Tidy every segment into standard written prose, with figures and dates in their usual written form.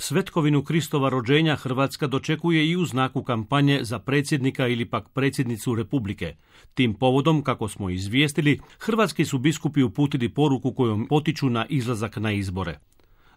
Svetkovinu Kristova rođenja Hrvatska dočekuje i u znaku kampanje za predsjednika ili pak predsjednicu Republike. Tim povodom, kako smo izvijestili, hrvatski su biskupi uputili poruku kojom potiču na izlazak na izbore.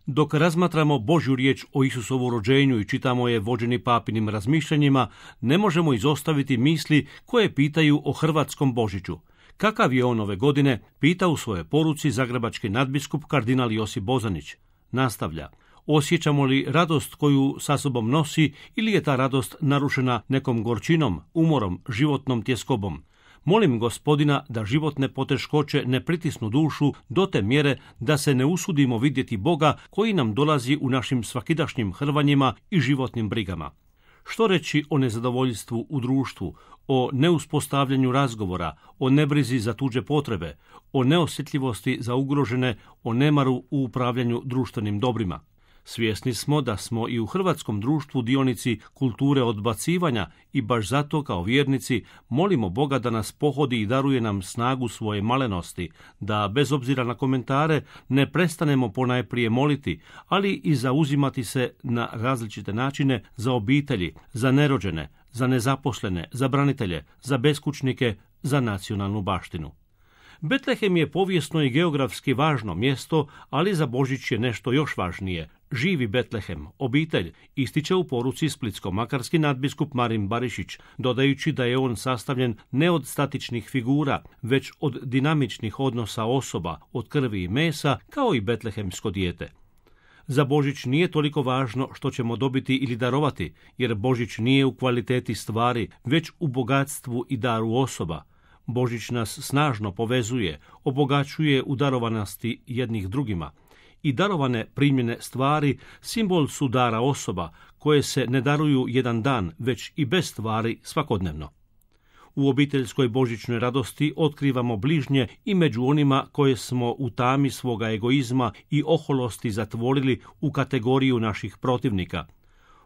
Dok razmatramo Božju riječ o Isusovu rođenju i čitamo je vođeni papinim razmišljanjima, ne možemo izostaviti misli koje pitaju o hrvatskom Božiću. Kakav je on ove godine, pita u svojoj poruci zagrebački nadbiskup kardinal Josip Bozanić. Nastavlja: osjećamo li radost koju sa sobom nosi ili je ta radost narušena nekom gorčinom, umorom, životnom tjeskobom? Molim Gospodina da životne poteškoće ne pritisnu dušu do te mjere da se ne usudimo vidjeti Boga koji nam dolazi u našim svakidašnjim hrvanjima i životnim brigama. Što reći o nezadovoljstvu u društvu, o neuspostavljanju razgovora, o nebrizi za tuđe potrebe, o neosjetljivosti za ugrožene, o nemaru u upravljanju društvenim dobrima? Svjesni smo da smo i u hrvatskom društvu dionici kulture odbacivanja i baš zato kao vjernici molimo Boga da nas pohodi i daruje nam snagu svoje malenosti, da bez obzira na komentare ne prestanemo ponajprije moliti, ali i zauzimati se na različite načine za obitelji, za nerođene, za nezaposlene, za branitelje, za beskućnike, za nacionalnu baštinu. Betlehem je povijesno i geografski važno mjesto, ali za Božić je nešto još važnije. Živi Betlehem, obitelj, ističe u poruci splitsko-makarski nadbiskup Marin Barišić, dodajući da je on sastavljen ne od statičnih figura, već od dinamičnih odnosa osoba, od krvi i mesa, kao i betlehemsko dijete. Za Božić nije toliko važno što ćemo dobiti ili darovati, jer Božić nije u kvaliteti stvari, već u bogatstvu i daru osoba. Božić nas snažno povezuje, obogaćuje u darovanosti jednih drugima. I darovane primljene stvari simbol su dara osoba, koje se ne daruju jedan dan, već i bez stvari svakodnevno. U obiteljskoj božićnoj radosti otkrivamo bližnje i među onima koje smo u tami svoga egoizma i oholosti zatvorili u kategoriju naših protivnika.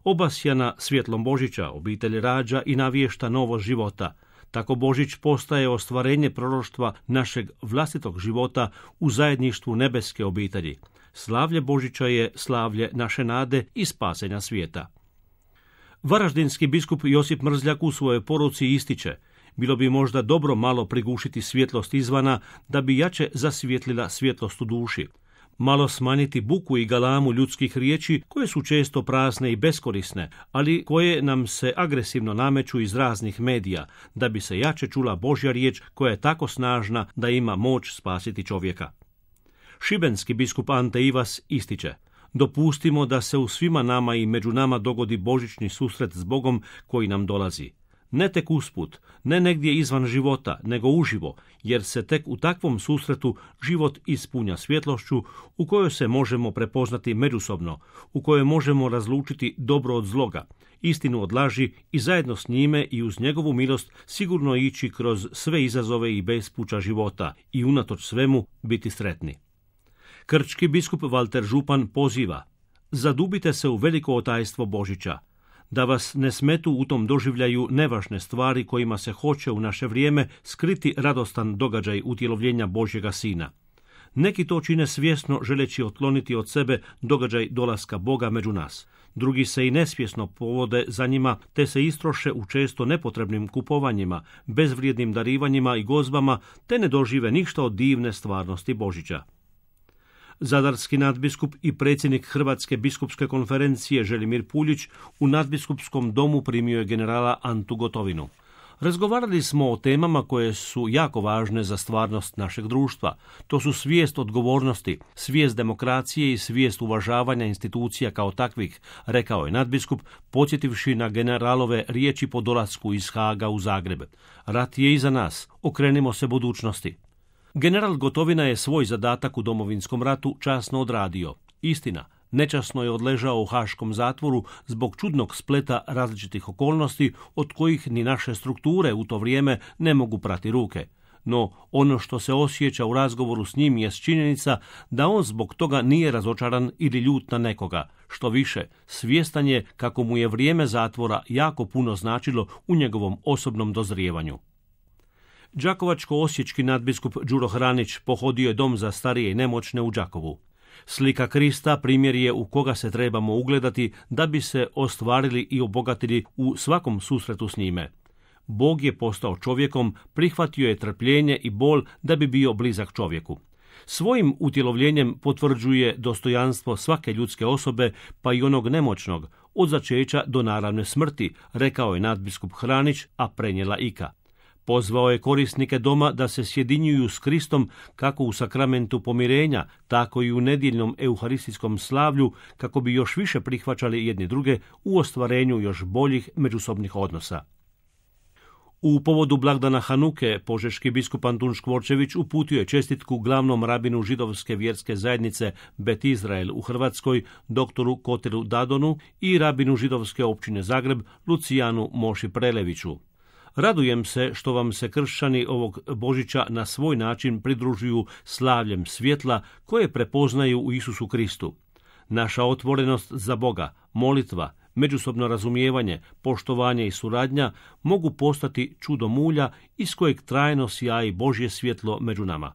Obasjana svjetlom Božića, obitelj rađa i navješta novost života. Tako Božić postaje ostvarenje proroštva našeg vlastitog života u zajedništvu nebeske obitelji. Slavlje Božića je slavlje naše nade i spasenja svijeta. Varaždinski biskup Josip Mrzljak u svojoj poruci ističe: bilo bi možda dobro malo prigušiti svjetlost izvana da bi jače zasvjetlila svjetlost u duši. Malo smanjiti buku i galamu ljudskih riječi koje su često prazne i beskorisne, ali koje nam se agresivno nameću iz raznih medija, da bi se jače čula Božja riječ koja je tako snažna da ima moć spasiti čovjeka. Šibenski biskup Ante Ivas ističe: dopustimo da se u svima nama i među nama dogodi božićni susret s Bogom koji nam dolazi. Ne tek usput, ne negdje izvan života, nego uživo, jer se tek u takvom susretu život ispunja svjetlošću u kojoj se možemo prepoznati međusobno, u kojoj možemo razlučiti dobro od zloga, istinu od laži i zajedno s njime i uz njegovu milost sigurno ići kroz sve izazove i bespuća života i unatoč svemu biti sretni. Krčki biskup Valter Župan poziva: zadubite se u veliko otajstvo Božića, da vas ne smetu u tom doživljaju nevažne stvari kojima se hoće u naše vrijeme skriti radostan događaj utjelovljenja Božjega Sina. Neki to čine svjesno želeći otkloniti od sebe događaj dolaska Boga među nas. Drugi se i nesvjesno povode za njima, te se istroše u često nepotrebnim kupovanjima, bezvrijednim darivanjima i gozbama, te ne dožive ništa od divne stvarnosti Božića. Zadarski nadbiskup i predsjednik Hrvatske biskupske konferencije Želimir Puljić u nadbiskupskom domu primio je generala Antu Gotovinu. Razgovarali smo o temama koje su jako važne za stvarnost našeg društva. To su svijest odgovornosti, svijest demokracije i svijest uvažavanja institucija kao takvih, rekao je nadbiskup, podsjetivši na generalove riječi po dolasku iz Haaga u Zagreb. Rat je iza nas, okrenimo se budućnosti. General Gotovina je svoj zadatak u Domovinskom ratu časno odradio. Istina, nečasno je odležao u haškom zatvoru zbog čudnog spleta različitih okolnosti od kojih ni naše strukture u to vrijeme ne mogu prati ruke. No, ono što se osjeća u razgovoru s njim je činjenica da on zbog toga nije razočaran ili ljut na nekoga. Što više, svjestan je kako mu je vrijeme zatvora jako puno značilo u njegovom osobnom dozrijevanju. Đakovačko-osječki nadbiskup Đuro Hranić pohodio je dom za starije i nemoćne u Đakovu. Slika Krista primjer je u koga se trebamo ugledati da bi se ostvarili i obogatili u svakom susretu s njime. Bog je postao čovjekom, prihvatio je trpljenje i bol da bi bio blizak čovjeku. Svojim utjelovljenjem potvrđuje dostojanstvo svake ljudske osobe, pa i onog nemoćnog, od začeća do naravne smrti, rekao je nadbiskup Hranić, a prenijela Ika. Pozvao je korisnike doma da se sjedinjuju s Kristom kako u sakramentu pomirenja, tako i u nedjeljnom euharistijskom slavlju, kako bi još više prihvaćali jedni druge u ostvarenju još boljih međusobnih odnosa. U povodu blagdana Hanuke, požeški biskup Antun Škvorčević uputio je čestitku glavnom rabinu židovske vjerske zajednice Bet Izrael u Hrvatskoj, doktoru Koteru Dadonu, i rabinu židovske općine Zagreb, Lucijanu Moši Preleviću. Radujem se što vam se kršćani ovog Božića na svoj način pridružuju slavljem svjetla koje prepoznaju u Isusu Kristu. Naša otvorenost za Boga, molitva, međusobno razumijevanje, poštovanje i suradnja mogu postati čudo mulja iz kojeg trajno sjaji Božje svjetlo među nama.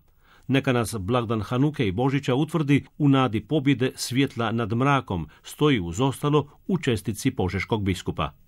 Neka nas blagdan Hanuke i Božića utvrdi u nadi pobjede svjetla nad mrakom, stoji uz ostalo u čestitci požeškog biskupa.